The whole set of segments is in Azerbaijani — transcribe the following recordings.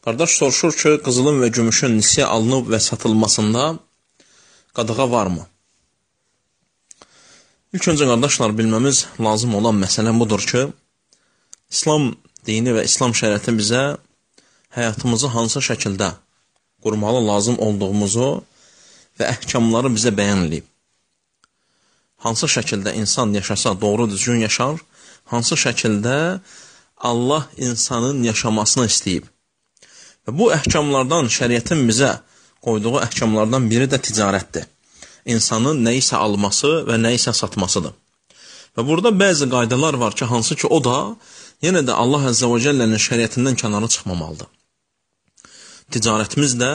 Qardaş soruşur ki, qızılın və gümüşün nisyə alınıb və satılmasında qadağa varmı? İlk öncə qardaşlar bilməmiz lazım olan məsələ budur ki, İslam dini və İslam şəriəti bizə həyatımızı hansı şəkildə qurmalı lazım olduğumuzu və əhkamları bizə bəyan edib. Hansı şəkildə insan yaşasa doğru düzgün yaşar, hansı şəkildə Allah insanın yaşamasını istəyib. Və bu əhkamlardan, şəriətin bizə qoyduğu əhkamlardan biri də ticarətdir. İnsanın nəyisə alması və nəyisə satmasıdır. Və burada bəzi qaydalar var ki, hansı ki o da yenə də Allah Əzzə və Cəllənin şəriətindən kənara çıxmamalıdır. Ticarətimiz də,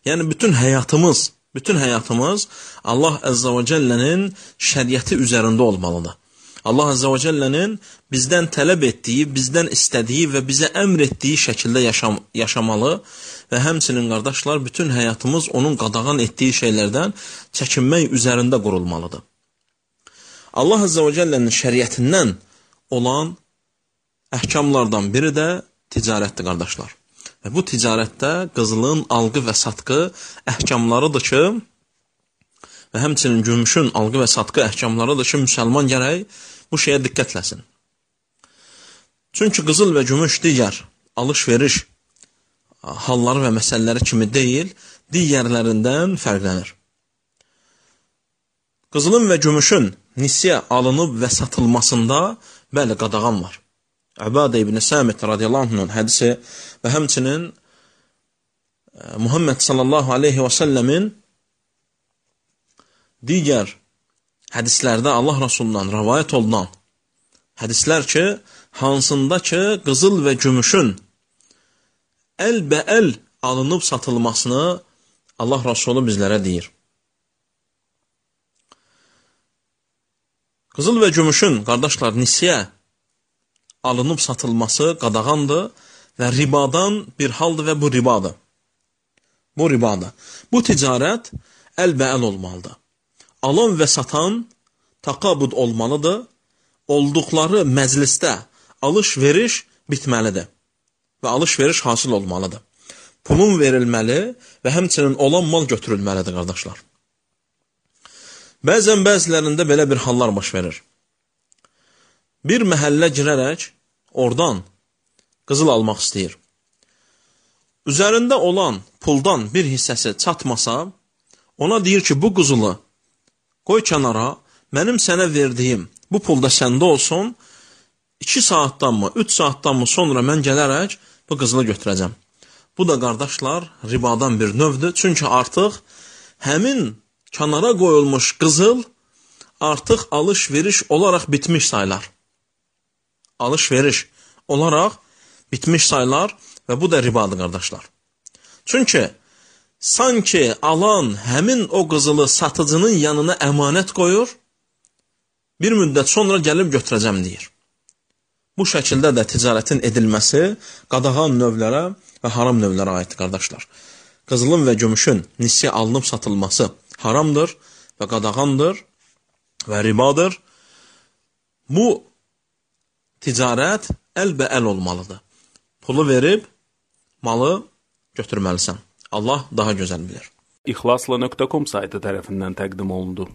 yəni bütün həyatımız Allah Əzzə və Cəllənin şəriəti üzərində olmalıdır. Allah Əzzə və Cəllənin bizdən tələb etdiyi, bizdən istədiyi və bizə əmr etdiyi şəkildə yaşamalı və həmçinin qardaşlar, bütün həyatımız onun qadağan etdiyi şeylərdən çəkinmək üzərində qurulmalıdır. Allah Əzzə və Cəllənin şəriətindən olan əhkamlardan biri də ticarətdir, qardaşlar. Və bu ticarətdə qızılın alqı və satqı əhkamlarıdır ki, və həmçinin gümüşün alqı və satqı əhkamlarıdır ki, müsəlman gərək bu şeyə diqqətləsin. Çünki qızıl və gümüş digər alış-veriş halları və məsələləri kimi deyil, digərlərindən fərqlənir. Qızılın və gümüşün nisyə alınıb və satılmasında bəli, qadağan var. Əbadə ibn Səmit radiyallahu anh'ın hədisi və həmçinin Muhammed sallallahu aleyhi və səlləmin digər hədislərdə Allah Rasulundan rəvayət olunan hədislər ki, hansında ki, qızıl və gümüşün əlbəəl alınıb satılmasını Allah Rasulü bizlərə deyir. Qızıl və gümüşün, qardaşlar, nisyə alınıb satılması qadağandır və ribadan bir haldır və bu ribadır. Bu ribadır. Bu ticarət əlbəəl olmalıdır. Alan və satan taqabud olmalıdır. Olduqları məclisdə alış-veriş bitməlidir və alış-veriş hasil olmalıdır. Pulun verilməli və həmçinin olan mal götürülməlidir, qardaşlar. Bəzilərində belə bir hallar baş verir. Bir məhəllə girərək oradan qızıl almaq istəyir. Üzərində olan puldan bir hissəsi çatmasa, ona deyir ki, bu qızılı qoy kənara, mənim sənə verdiyim bu pulda səndə olsun, 2 saatdanmı, 3 saatdanmı sonra mən gələrək bu qızılı götürəcəm. Bu da, qardaşlar, ribadan bir növdür. Çünki artıq həmin kənara qoyulmuş qızıl artıq alış-veriş olaraq bitmiş sayılar. Alış-veriş olaraq bitmiş sayılar və bu da ribadır, qardaşlar. Çünki sanki alan həmin o qızılı satıcının yanına əmanət qoyur, bir müddət sonra gəlib götürəcəm deyir. Bu şəkildə də ticarətin edilməsi qadağan növlərə və haram növlərə aiddir, qardaşlar. Qızılın və gümüşün nisyə alınıb satılması haramdır və qadağandır və ribadır. Bu ticarət əlbəəl olmalıdır. Pulu verib malı götürməlisən. Allah daha gözəl bilir. İxlasla.com saytı tərəfindən təqdim olundu.